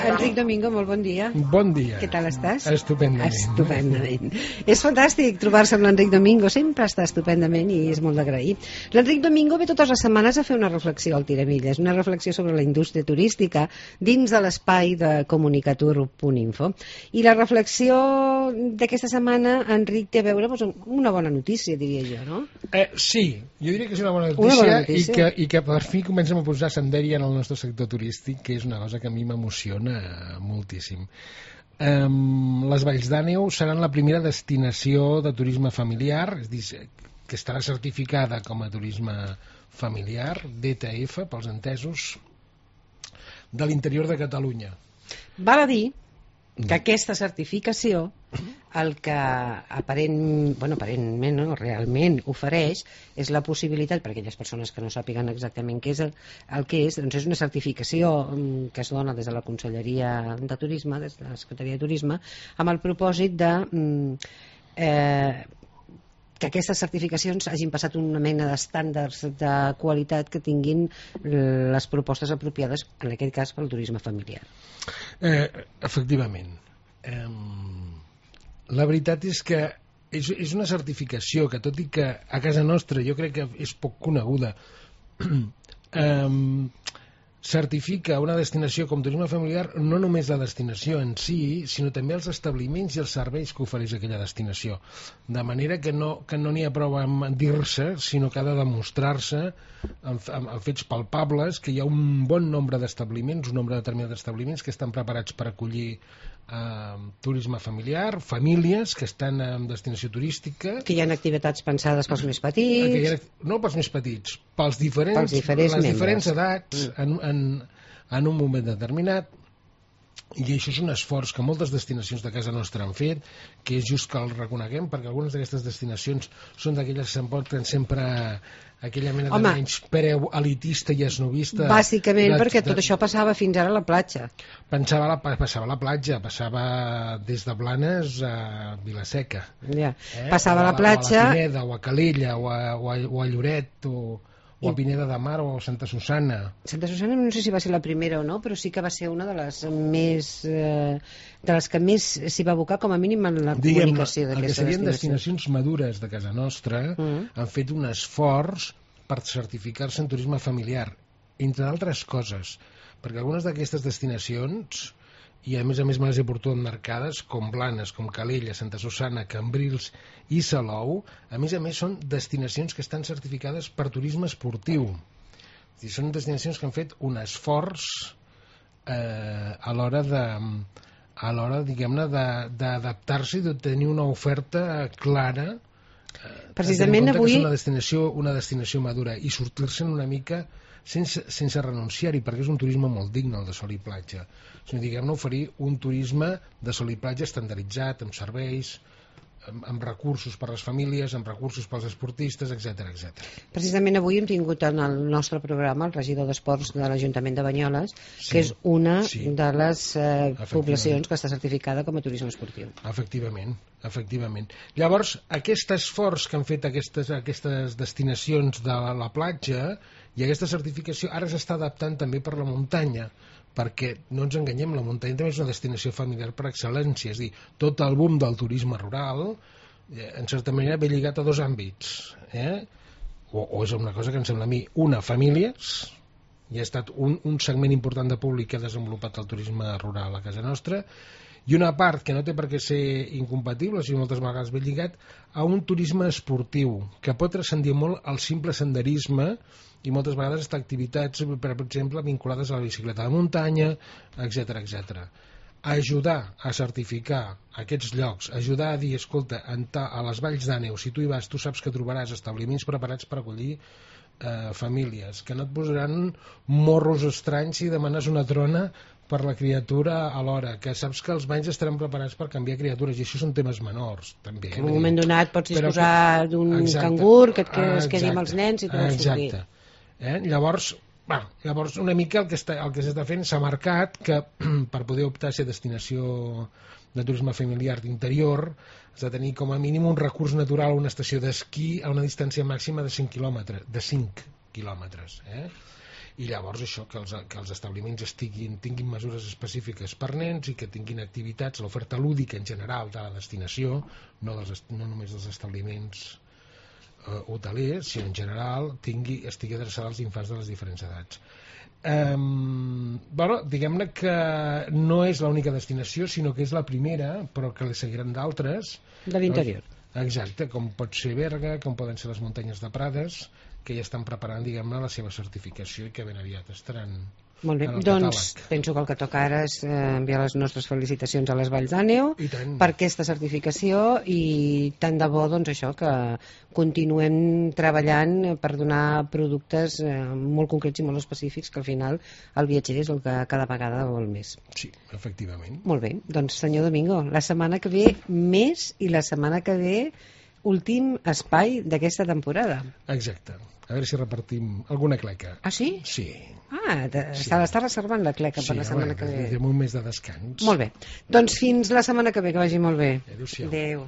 Enric Domingo, molt bon dia. Bon dia. Què tal estàs? Estupendament. Estupendament. És fantàstic trobar-se amb l'Enric Domingo, sempre està estupendament i és molt d'agrair. L'Enric Domingo ve totes les setmanes a fer una reflexió al Tiramilles, una reflexió sobre la indústria turística dins de l'espai de comunicatur.info. I la reflexió d'aquesta setmana, Enric, té a veure amb una bona notícia, diria jo, no? Sí, jo diria que és una bona notícia, i que per fi comencem a posar senderi en el nostre sector turístic, que és una cosa que a mi m'emociona moltíssim. Les Valls d'Àneu seran la primera destinació de turisme familiar, és dir, que estarà certificada com a turisme familiar, DTF, pels entesos, de l'interior de Catalunya. Val a dir que aquesta certificació el que aparentment, no, realment ofereix és la possibilitat, per a aquelles persones que no sàpiguen exactament què és el que és, doncs és una certificació que es dona des de la Conselleria de Turisme, des de la Secretaria de Turisme, amb el propòsit de que aquestes certificacions hagin passat una mena d'estàndards de qualitat que tinguin les propostes apropiades, en aquest cas pel turisme familiar. Efectivament. La veritat és que és una certificació que, tot i que a casa nostra jo crec que és poc coneguda, certifica una destinació com turisme familiar, no només la destinació en si, sinó també els establiments i els serveis que ofereix aquella destinació. De manera que no n'hi ha prou amb dir-se, sinó que ha de demostrar-se amb fets palpables que hi ha un bon nombre d'establiments, un nombre determinat d'establiments que estan preparats per acollir turisme familiar, famílies que estan en destinació turística, que hi ha activitats pensades pels més petits, no pels més petits, les diferents edats en un moment determinat. I això és un esforç que moltes destinacions de casa nostra han fet, que és just que el reconeguem, perquè algunes d'aquestes destinacions són d'aquelles que s'emporten sempre aquella mena de menyspreu elitista i esnovista. Bàsicament perquè tot això passava fins ara a la platja. Passava a la platja, passava des de Blanes a Vila-seca. Passava a la platja... O a la Pineda, o a Calella, o a Lloret, o a Pineda de Mar, o a Santa Susana. Santa Susana no sé si va ser la primera o no, però sí que va ser una de les més de les que més s'hi va abocar, com a mínim en la comunicació d'aquesta destinació. El que serien destinacions madures de casa nostra han fet un esforç per certificar-se en turisme familiar, entre d'altres coses, perquè algunes d'aquestes destinacions, i a més me les he portat marcades, com Blanes, com Calella, Santa Susana, Cambrils i Salou, a més són destinacions que estan certificades per turisme esportiu. És dir, són destinacions que han fet un esforç a l'hora diguem-ne, d'adaptar-se i d'obtenir una oferta clara, precisament avui, que és una destinació madura, i sortir-se'n una mica sense renunciar-hi, perquè és un turisme molt digne, el de sol i platja. Diguem-ne, oferir un turisme de sol i platja estandarditzat, amb serveis, amb recursos per a les famílies, amb recursos per als esportistes, etc. Precisament avui hem tingut en el nostre programa el regidor d'Esports de l'Ajuntament de Banyoles, que és una de les poblacions que està certificada com a turisme esportiu. Efectivament. Llavors, aquest esforç que han fet aquestes destinacions de la platja i aquesta certificació ara s'està adaptant també per la muntanya, perquè no ens enganyem, la muntanya també és una destinació familiar per excel·lència, és a dir, tot el boom del turisme rural en certa manera ve lligat a dos àmbits, o és una cosa que em sembla a mi, famílies, i ha estat un segment important de públic que ha desenvolupat el turisme rural a casa nostra, i una part que no té per què ser incompatible, sinó moltes vegades ve lligat a un turisme esportiu, que pot transcendir molt el simple senderisme i moltes vegades està activitats, per exemple, vinculades a la bicicleta de muntanya, etc. Ajudar a certificar aquests llocs, ajudar a dir, escolta, a les Valls d'Àneu, si tu hi vas, tu saps que trobaràs establiments preparats per acollir famílies, que no et posaran morros estranys si demanes una trona per la criatura alhora, que saps que els banys estaran preparats per canviar criatures, i això són temes menors també. En un moment donat pots disposar d'un cangur que es quedi amb els nens i tu vols sortir. Llavors una mica el que s'està fent, s'ha marcat que per poder optar a ser destinació de turisme familiar d'interior has de tenir com a mínim un recurs natural, una estació d'esquí a una distància màxima de 5 quilòmetres, I llavors això, que els establiments tinguin mesures específiques per nens i que tinguin activitats, l'oferta lúdica en general de la destinació, no només dels establiments hotelers, sinó en general estigui adreçada als infants de les diferents edats. Diguem-ne que no és l'única destinació, sinó que és la primera, però que li seguiran d'altres de l'interior. Exacte, com pot ser Berga, com poden ser les muntanyes de Prades, que ja estan preparant, diguem-ne, la seva certificació i que ben aviat estaran Molt bé, doncs penso que el que toca ara és enviar les nostres felicitacions a les Valls d'Àneu per aquesta certificació i tant de bo doncs això, que continuem treballant per donar productes molt concrets i molt específics, que al final el viatger és el que cada vegada vol més. Sí, efectivament. Molt bé, doncs senyor Domingo, la setmana que ve més i la setmana que ve últim espai d'aquesta temporada. Exacte. A veure si repartim alguna cleca. Ah, sí? Sí. Se l'està reservant la cleca per la setmana que ve. Sí, un mes de descans. Molt bé. Doncs fins la setmana que ve, que vagi molt bé. Adéu-siau. Adéu.